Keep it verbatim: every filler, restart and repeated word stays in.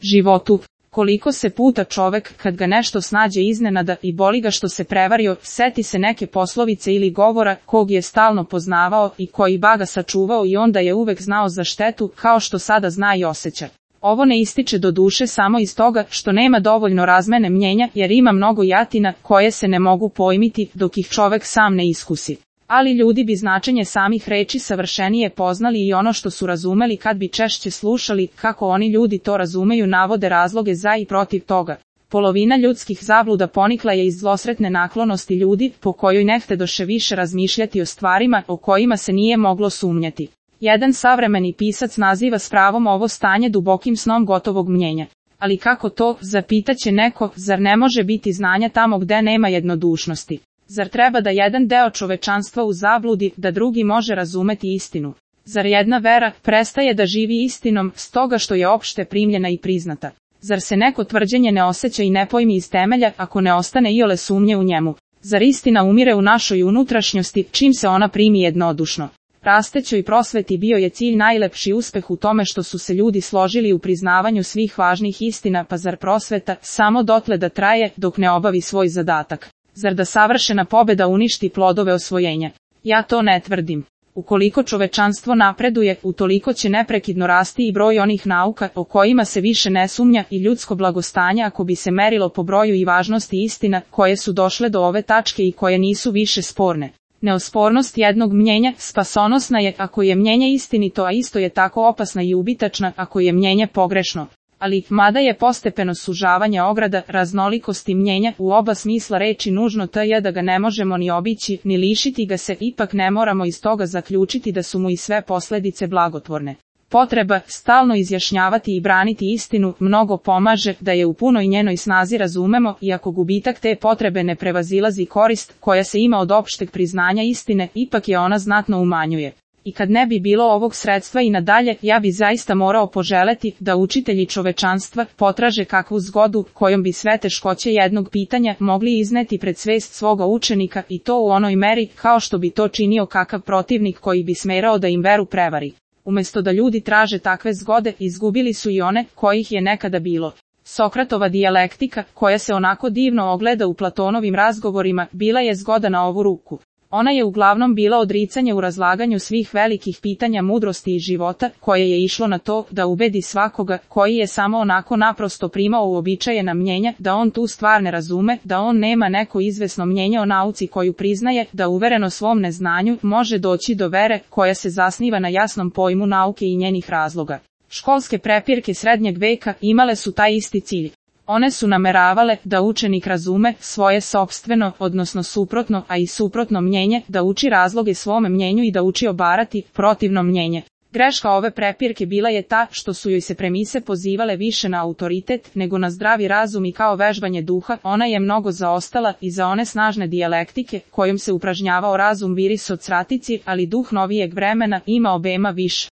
životu. Koliko se puta čovek, kad ga nešto snađe iznenada i boli ga što se prevario, seti se neke poslovice ili govora kog je stalno poznavao i koji baga sačuvao i onda je uvek znao za štetu, kao što sada zna i osjeća. Ovo ne ističe do duše samo iz toga što nema dovoljno razmene mnjenja, jer ima mnogo jatina koje se ne mogu pojmiti dok ih čovek sam ne iskusi. Ali ljudi bi značenje samih reči savršenije poznali i ono što su razumeli kad bi češće slušali kako oni ljudi to razumeju, navode razloge za i protiv toga. Polovina ljudskih zabluda ponikla je iz zlosretne naklonosti ljudi, po kojoj ne htedoše više razmišljati o stvarima o kojima se nije moglo sumnjati. Jedan savremeni pisac naziva s pravom ovo stanje dubokim snom gotovog mnjenja. Ali kako to, zapitaće neko, zar ne može biti znanja tamo gde nema jednodušnosti? Zar treba da jedan deo čovečanstva u zabludi, da drugi može razumeti istinu? Zar jedna vera prestaje da živi istinom, stoga što je opšte primljena i priznata? Zar se neko tvrđenje ne osjeća i ne pojmi iz temelja, ako ne ostane iole sumnje u njemu? Zar istina umire u našoj unutrašnjosti, čim se ona primi jednodušno? Rastećoj prosveti bio je cilj najlepši uspeh u tome što su se ljudi složili u priznavanju svih važnih istina, pa zar prosveta samo dotle da traje dok ne obavi svoj zadatak? Zar da savršena pobeda uništi plodove osvojenja? Ja to ne tvrdim. Ukoliko čovečanstvo napreduje, utoliko će neprekidno rasti i broj onih nauka o kojima se više ne sumnja i ljudsko blagostanje ako bi se merilo po broju i važnosti istina koje su došle do ove tačke i koje nisu više sporne. Neospornost jednog mnjenja spasonosna je ako je mnjenje istinito, a isto je tako opasna i ubitačna ako je mnjenje pogrešno. Ali, mada je postepeno sužavanje ograda raznolikosti mnjenja u oba smisla reči nužno to je da ga ne možemo ni obići, ni lišiti ga se, ipak ne moramo iz toga zaključiti da su mu i sve posledice blagotvorne. Potreba stalno izjašnjavati i braniti istinu mnogo pomaže da je u punoj njenoj snazi razumemo, iako gubitak te potrebe ne prevazilazi korist koja se ima od opšteg priznanja istine, ipak je ona znatno umanjuje. I kad ne bi bilo ovog sredstva i nadalje, ja bi zaista morao poželeti da učitelji čovečanstva potraže kakvu zgodu kojom bi sve teškoće jednog pitanja mogli izneti pred svest svoga učenika i to u onoj meri kao što bi to činio kakav protivnik koji bi smerao da im veru prevari. Umesto da ljudi traže takve zgode, izgubili su i one kojih je nekada bilo. Sokratova dijalektika, koja se onako divno ogleda u Platonovim razgovorima, bila je zgoda na ovu ruku. Ona je uglavnom bila odricanje u razlaganju svih velikih pitanja mudrosti i života, koje je išlo na to da ubedi svakoga koji je samo onako naprosto primao uobičajena mnjenja, da on tu stvar ne razume, da on nema neko izvesno mnjenje o nauci koju priznaje, da uvereno svom neznanju može doći do vere koja se zasniva na jasnom pojmu nauke i njenih razloga. Školske prepirke srednjeg veka imale su taj isti cilj. One su nameravale da učenik razume svoje sopstveno, odnosno suprotno, a i suprotno mnjenje, da uči razloge svome mnjenju i da uči obarati protivno mnjenje. Greška ove prepirke bila je ta što su joj se premise pozivale više na autoritet nego na zdravi razum i kao vežbanje duha, ona je mnogo zaostala i za one snažne dijalektike kojom se upražnjavao razum viris od sratici, ali duh novijeg vremena ima obema više.